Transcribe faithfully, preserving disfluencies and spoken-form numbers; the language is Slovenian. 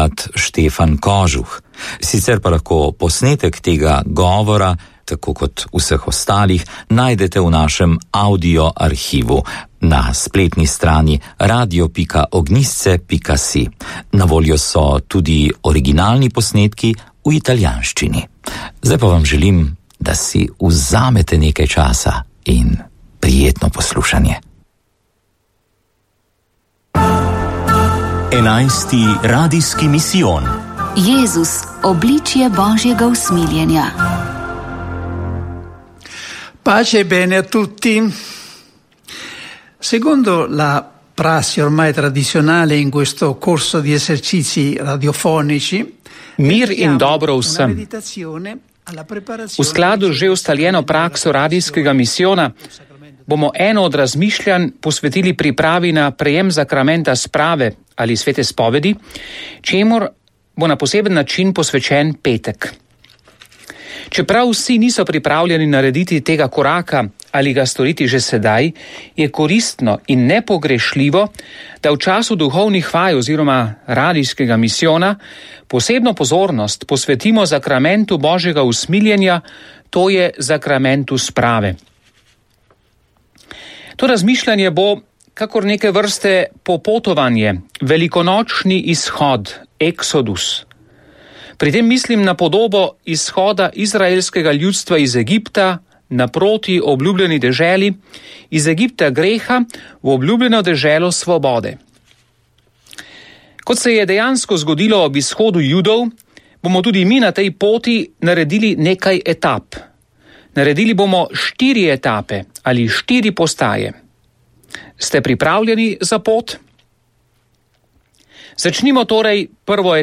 brat Štefan Kožuh. Sicer pa lahko posnetek tega govora, tako kot vseh ostalih, najdete v našem audio arhivu na spletni strani radio pika ognjisce pika si. Na voljo so tudi originalni posnetki v italijanščini. Zdaj pa vam želim, da si vzamete nekaj časa in prijetno poslušanje. Enajsti radijski misijon. Jezus, obličje Božjega usmiljenja. Pace e bene a tutti. Secondo la prassi ormai tradizionale in questo corso di esercizi radiofonici, mir in dobro vsem. V skladu z že ustaljeno prakso radijskega misijona bomo eno od razmišljanj posvetili pripravi na prejem zakramenta sprave ali svete spovedi, čemur bo na poseben način posvečen petek. Čeprav vsi niso pripravljeni narediti tega koraka ali ga storiti že sedaj, je koristno in nepogrešljivo, da v času duhovnih vaj oziroma radijskega misijona posebno pozornost posvetimo zakramentu Božjega usmiljenja, to je zakramentu sprave. To razmišljanje bo kakor neke vrste popotovanje, velikonočni izhod, eksodus. Pri tem mislim na podobo izhoda izraelskega ljudstva iz Egipta naproti obljubljeni deželi, iz Egipta greha v obljubljeno deželo svobode. Kot se je dejansko zgodilo ob izhodu Judov, bomo tudi mi na tej poti naredili nekaj etap. Naredili bomo štiri etape ali štiri postaje. Ste pripravljeni za pot? Začnimo torej prvo